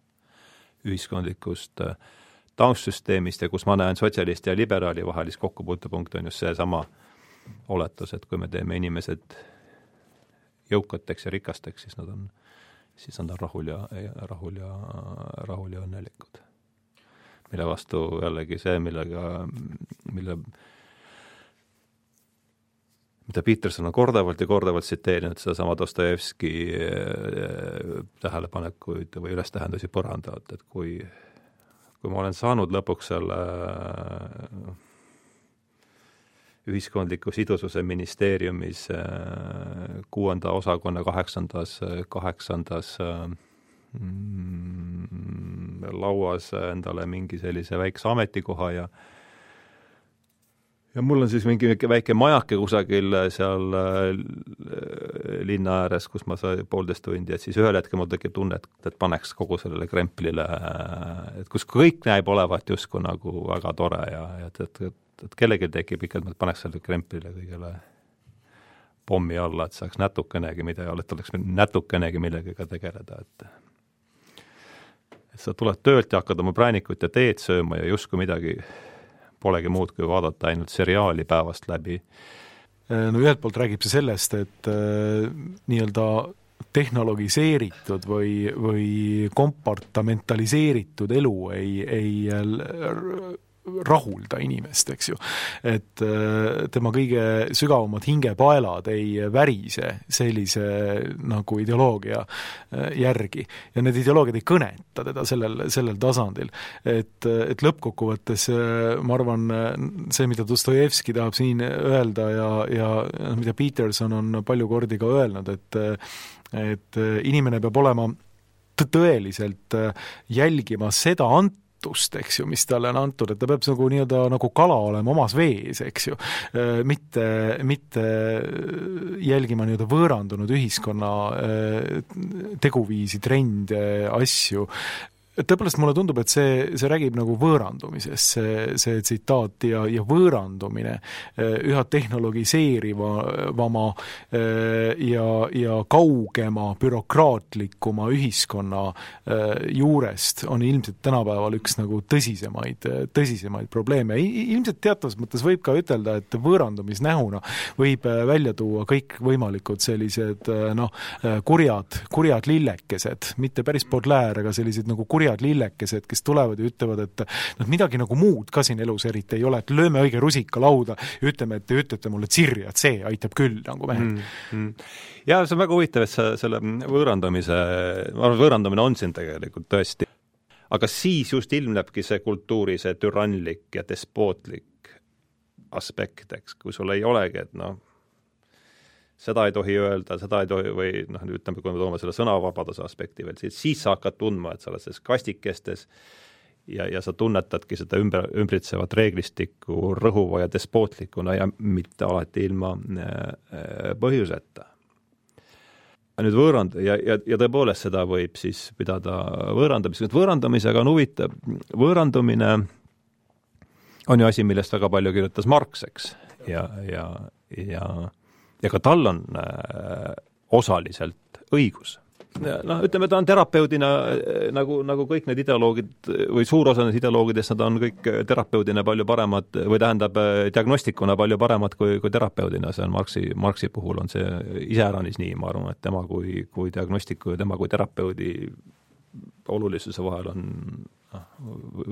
ühiskondlikust taustsüsteemist ja kus ma näen sotsialisti ja liberaali vahelist kokkupuutepunkt on just see sama oletus, et kui me teeme inimesed jõukateks ja rikasteks, siis nad on rahul ja õnnelikud. Mille vastu jällegi see, mida Peterson on kordavalt ja kordavalt tsiteerinud seda sama Dostojevski tähelepanekuid või ülestähendusi põrandavad, et kui ma olen saanud lõpuks selle ühiskondliku sidususe ministeeriumis 6. osakonna 8. lauas endale mingi sellise väikse ametikoha ja mul on siis mingi väike majake kusagil seal linna ääres, kus ma sain 1,5 tundi, et siis ühel hetkel mul tekib tunne, et paneks kogu sellele kremplile, et kus kõik näib olevat justkui nagu väga tore ja et kellelgi tekib ikka, et paneks selle kremplile kõigele pommi alla, et saaks natukenegi oleks natukenegi millegagi tegeleda, et sa tuled töölt ja hakkad oma präänikut ja teed sööma ja justkui midagi polegi muud, kui vaadata ainult seriaali päevast läbi. No ühelt poolt räägib see sellest, et nii-öelda tehnologiseeritud või kompartamentaliseeritud elu ei rahulda inimest, eks ju. Et tema kõige sügavamad hingepaelad ei värise sellise nagu ideoloogia järgi. Ja need ideoloogiad ei kõneta teda sellel tasandil. Et lõppkokkuvõttes, ma arvan, see, mida Dostojevski tahab siin öelda ja mida Peterson on palju kordi ka öelnud, et inimene peab olema tõeliselt jälgima seda eks ju, mis talle on antud, et ta peab nagu kala olema omas vees, eks ju, mitte jälgima võõrandunud ühiskonna teguviisi, trende, asju. Tõepoolest mulle tundub, et see räägib nagu võõrandumisest, see tsitaat ja võõrandumine üha tehnologiseerivama ja kaugema, bürokraatlikuma ühiskonna juurest on ilmselt tänapäeval üks nagu tõsisemaid probleeme. Ilmselt teatavas mõttes võib ka ütelda, et võõrandumisnähuna võib välja tuua kõik võimalikud sellised kurjad lillekesed, mitte päris Baudelaire, aga sellised nagu kurjad lillekesed, kes tulevad ja ütlevad, et midagi nagu muud ka siin elus eriti ei ole, et lööme õige rusika lauda ja ütleme, et te ütlete mulle tsirri, et see aitab küll nagu mehed. Ja see on väga huvitav, et selle võõrandamine on siin tegelikult tõesti. Aga siis just ilmnebki see kultuuri, see türanlik ja despootlik aspekt, eks, kui sul ei olegi, et seda ei tohi öelda, seda ei tohi, või ütleme, kui me toome selle sõnavabaduse aspekti veel, siis sa hakkad tundma, et sa oled selles kastikestes ja sa tunnetadki seda ümbritsevat reeglistikku rõhuva ja despootlikuna ja mitte alati ilma põhjuseta. Nüüd ja tõepoolest seda võib siis pidada võõrandamisega. Võõrandamisega on huvitav. Võõrandumine on ju asi, millest väga palju kirjutas Marx, eks, ja ka tal on osaliselt õigus. noh, ütleme, ta on terapeudina nagu kõik need ideoloogid või suur osa nendest ideoloogidest, nad on kõik terapeudina palju paremad või tähendab diagnostikuna palju paremad kui terapeudina, see on Marxi puhul on see iseäranis nii, ma arvan, et tema kui diagnostiku ja tema kui terapeudi olulisuse vahel on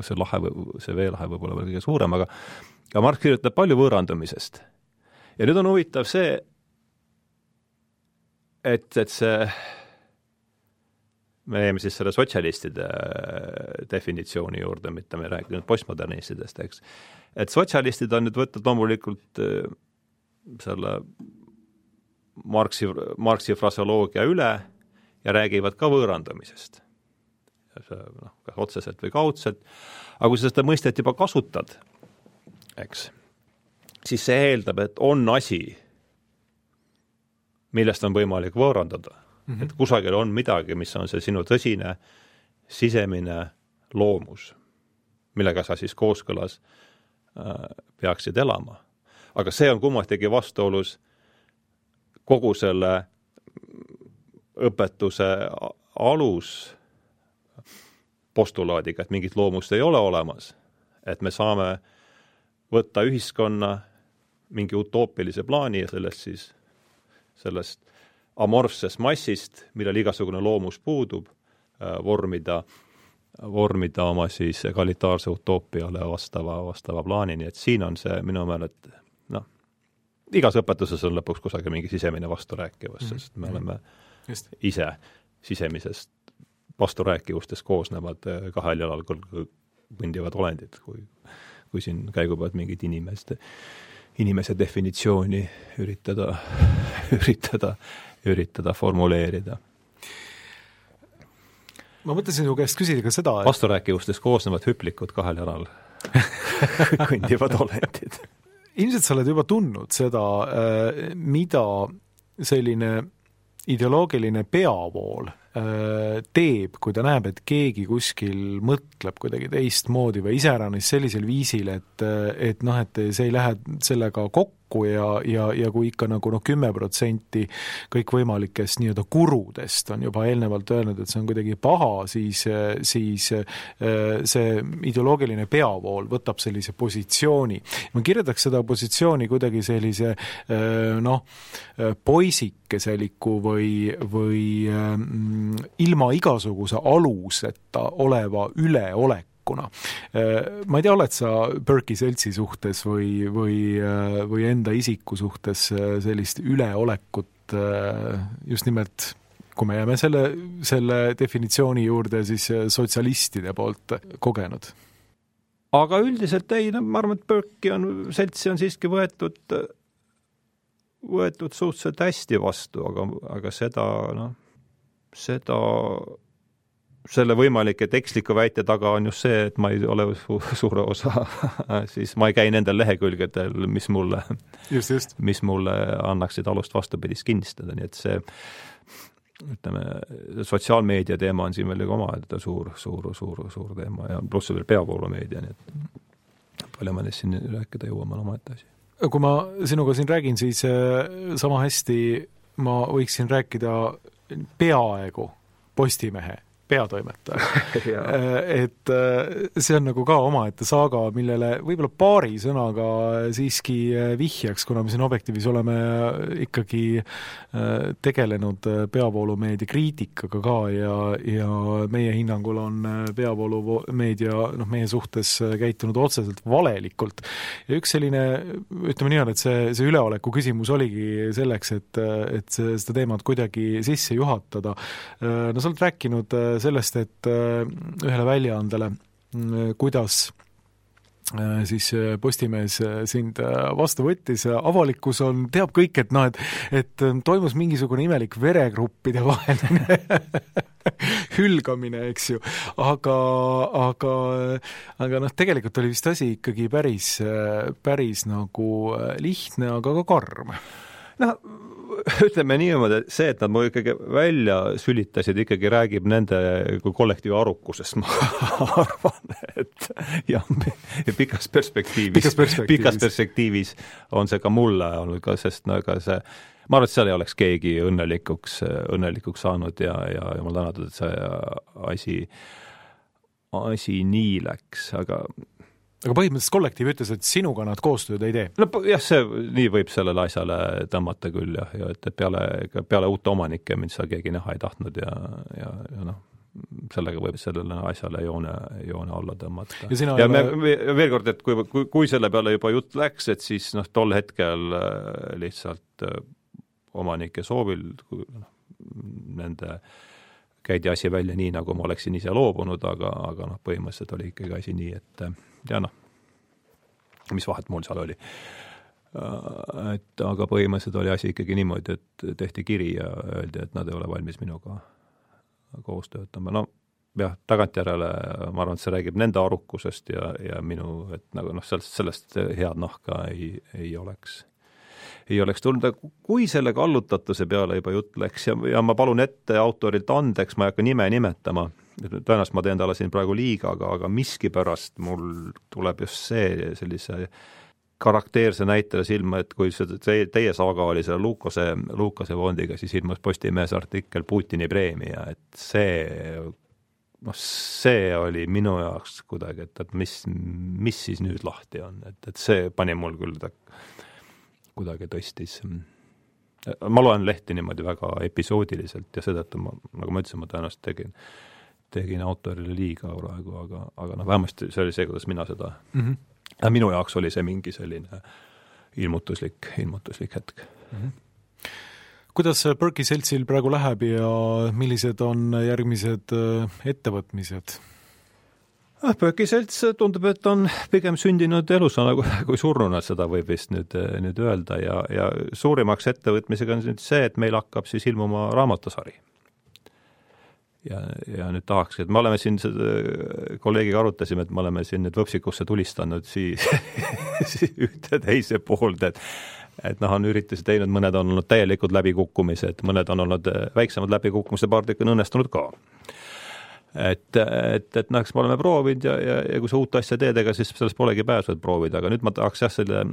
see veelahe võib-olla veel kõige suurem, aga Marx kirjutab palju võõrandumisest. Ja nüüd on huvitav see, et see me jäime siis selle sotsialistide definitsiooni juurde, mitte me rääkinud postmodernistidest, eks. Et sotsialistid on nüüd võtnud loomulikult selle Marxi fraseoloogia üle ja räägivad ka võõrandumisest. Kas otseselt või kaudselt. Aga kui sa seda mõistet juba kasutad, eks, siis see eeldab, et on asi, millest on võimalik võõrandada. Et kusagil on midagi, mis on see sinu tõsine sisemine loomus, millega sa siis kooskõlas peaksid elama. Aga see on kummatigi vastuolus kogu selle õpetuse alus postulaadiga, et mingit loomust ei ole olemas, et me saame võtta ühiskonna mingi utoopilise plaani ja sellest amorfsest massist, millel igasugune loomus puudub, vormida oma siis egalitaarse utoopiale vastava plaani, nii et siin on see minu meelest, igas õpetuses on lõpuks kusagil mingi sisemine vasturääkivus, sest me oleme ise sisemisest vasturääkivustest koosnevad kahel jalal kõndivad olendid, kui siin käigu pealt mingid inimese definitsiooni üritada formuleerida. Ma mõtlesin sinu käest küsida ka seda, et vasturääkivustest koosnevad hüplikud kahel jalal kõndivad olendid. Ilmselt sa oled juba tundnud seda, mida selline ideoloogiline peavool teeb, kui ta näeb, et keegi kuskil mõtleb kuidagi teistmoodi või iseäranis sellisel viisil, et see ei lähe sellega kokku ja kui ikka nagu 10% kõikvõimalikest nii-öelda kurudest on juba eelnevalt öelnud, et see on kuidagi paha, siis see ideoloogiline peavool võtab sellise positsiooni. Ma kirjeldaks seda positsiooni kuidagi sellise poisikeseliku või ilma igasuguse aluseta oleva üleolek. Ma ei tea, oled sa Burke'i seltsi suhtes või enda isiku suhtes sellist üleolekut just nimelt, kui me jääme selle definitsiooni juurde, siis sotsialistide poolt kogenud? Aga üldiselt ei, ma arvan, et Burke'i seltsi on siiski võetud suhteliselt hästi vastu, aga selle võimalike tekstliku väite taga on just see, et ma ei ole suure osa, siis ma ei käi nendel lehekülgedel, mis mulle annaksid alust vastupidist kinnistada, nii et see, ütleme, sotsiaalmeedia teema on siin veel oma suur teema ja pluss veel peavoolumeedia, nii et palju me neist siin rääkida jõuame oma ette asi. Kui ma sinuga siin räägin, siis sama hästi ma võiksin rääkida peaaegu Postimehe peatoimetaja. Et see on nagu ka omaette saaga, millele võib-olla paari sõnaga siiski vihjaks, kuna me siin Objektiivis oleme ikkagi tegelenud peavoolumeedia kriitikaga ka ja meie hinnangul on peavoolumeedia meie suhtes käitunud otseselt valelikult. Ja üks selline, ütleme nii on, et see üleoleku küsimus oligi selleks, et seda teemat kuidagi sisse juhatada. No sa oled rääkinud sellest, et ühele väljaandele, kuidas siis Postimees sind vastu võttis, avalikkus teab kõik, et toimus mingisugune imelik veregruppide vaheline hülgamine, eks ju, aga tegelikult oli vist asi ikkagi päris nagu lihtne, aga ka karm. Ütleme niimoodi, et see, et nad mu ikkagi välja sülitasid, ikkagi räägib nende kollektiivi arukusest, ma arvan, et ja pikas perspektiivis on see ka mulle olnud ka, sest see ma arvan, et seal ei oleks keegi õnnelikuks saanud ja ma tänatud, et see asi nii läks, aga põhimõtteliselt kollektiiv ütles, et sinuga nad koostööd ei tee? No jah, nii võib sellele asjale tõmmata küll jah, ja et peale uute omanike mind seal keegi näha ei tahtnud ja noh, sellega võib sellele asjale joone alla tõmmata. Ja veel kord, et kui selle peale juba jutt läks, et siis noh, tol hetkel lihtsalt omanike soovil nende käidi asi välja nii, nagu ma oleksin ise loobunud, aga noh, põhimõtteliselt oli ikkagi asi nii, et ja noh, mis vahet mul seal oli. Aga põhimõtteliselt oli asi ikkagi niimoodi, et tehti kiri ja öeldi, et nad ei ole valmis minuga koos töötama. No jah, tagantjärele ma arvan, et see räägib nende arukusest ja minu, et nagu noh, sellest head nahka ei oleks tulnud. Kui selle kallutatuse peale juba jutt läks ja ma palun ette autorilt andeks, ma ei hakka nime nimetama, tõenäoliselt ma teen talle siin praegu liiga, aga miskipärast mul tuleb just see sellise karakteerse näitele silma, et kui teie saaga oli selle Lukase fondiga, siis ilmus Postimehes artikkel Putini preemia, et see oli minu jaoks kuidagi, et mis siis nüüd lahti on, et see pani mul küll kuidagi tõstis. Ma loen lehti niimoodi väga episoodiliselt ja seetõttu nagu ma ütlesin, ma tõenäoliselt tegin autorile liiga praegu, aga noh, vähemasti see oli see, kuidas mina seda minu jaoks oli see mingi selline ilmutuslik hetk. Kuidas Berkey seltsil praegu läheb ja millised on järgmised ettevõtmised? Berkey selts tundub, et on pigem sündinud elusana kui surnuna, seda võib vist nüüd öelda ja suurimaks ettevõtmisega on nüüd see, et meil hakkab siis ilmuma raamatusari. Ja nüüd tahaks, et me oleme siin kolleegiga arutasime, et me oleme siin nüüd võpsikusse tulistanud siis ühte teise poolde, et noh, on üritusi teinud, mõned on olnud täielikud läbikukkumised, mõned on olnud väiksemad läbikukkumised, paar tükki on õnnestunud ka. Et noh, eks me oleme proovinud ja kui sa uut asja teed, ega siis sellest polegi pääsu, et proovida, aga nüüd ma tahaks selle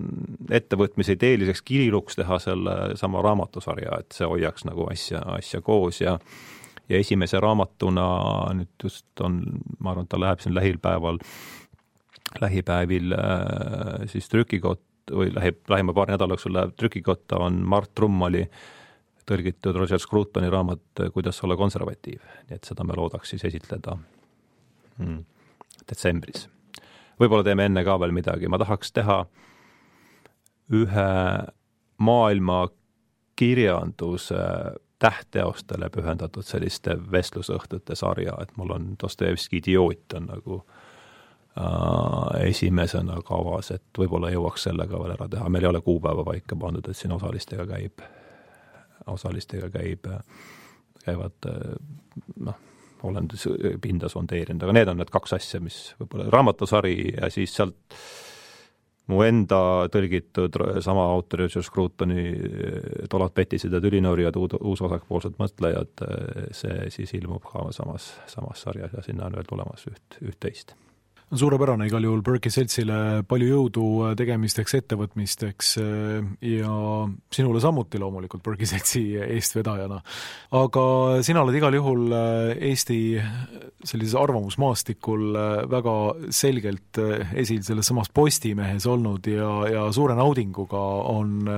ettevõtmise ideeliseks kiriluks teha selle sama raamatusarja, et see hoiaks nagu asja koos ja esimese raamatuna nüüd just on, ma arvan, ta läheb siin lähipäevil siis trükikott või lähima paar nädalaks läheb trükikotta on Mart Trummali tõlgitud Roger Scrutoni raamat Kuidas olla konservatiiv. Nii et seda me loodaks siis esitleda detsembris. Võib-olla teeme enne ka veel midagi. Ma tahaks teha ühe maailma kirjanduse tähtteostele pühendatud selliste vestlusõhtute sarja, et mul on Dostojevski Idioot on nagu esimesena kavas, et võib-olla jõuaks sellega veel ära teha. Meil ei ole kuupäeva paika pandud, et siin osalistega käivad, noh, olen pinda sondeerinud, aga need on need kaks asja, mis võib-olla raamatusari ja siis sealt mu enda tõlgitud sama autori Roger Scrutoni Tollad petised ja tülinoorijad, uusvasakpoolsed mõtlejad, see siis ilmub ka samas sarjas ja sinna on veel tulemas üht-teist. On suurepärane igal juhul Berkey seltsile palju jõudu tegemisteks, ettevõtmisteks ja sinule samuti loomulikult Berkey seltsi eestvedajana. Aga sina oled igal juhul Eesti sellises arvamusmaastikul väga selgelt esil selles samas Postimehes olnud ja suure naudinguga on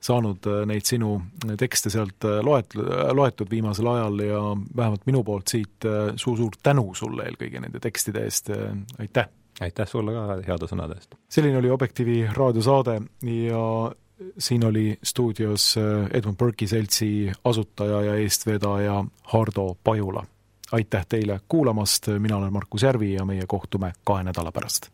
saanud neid sinu tekste sealt loetud viimasel ajal ja vähemalt minu poolt siit suur tänu sulle eelkõige nende tekstide eest. Aitäh sulle ka heade sõnade eest. Selline oli Objektiivi raadiosaade ja siin oli stuudios Edmund Berkey seltsi asutaja ja eestvedaja Hardo Pajula. Aitäh teile kuulamast, mina olen Markus Järvi ja meie kohtume 2 nädala pärast.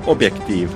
Objektiiv.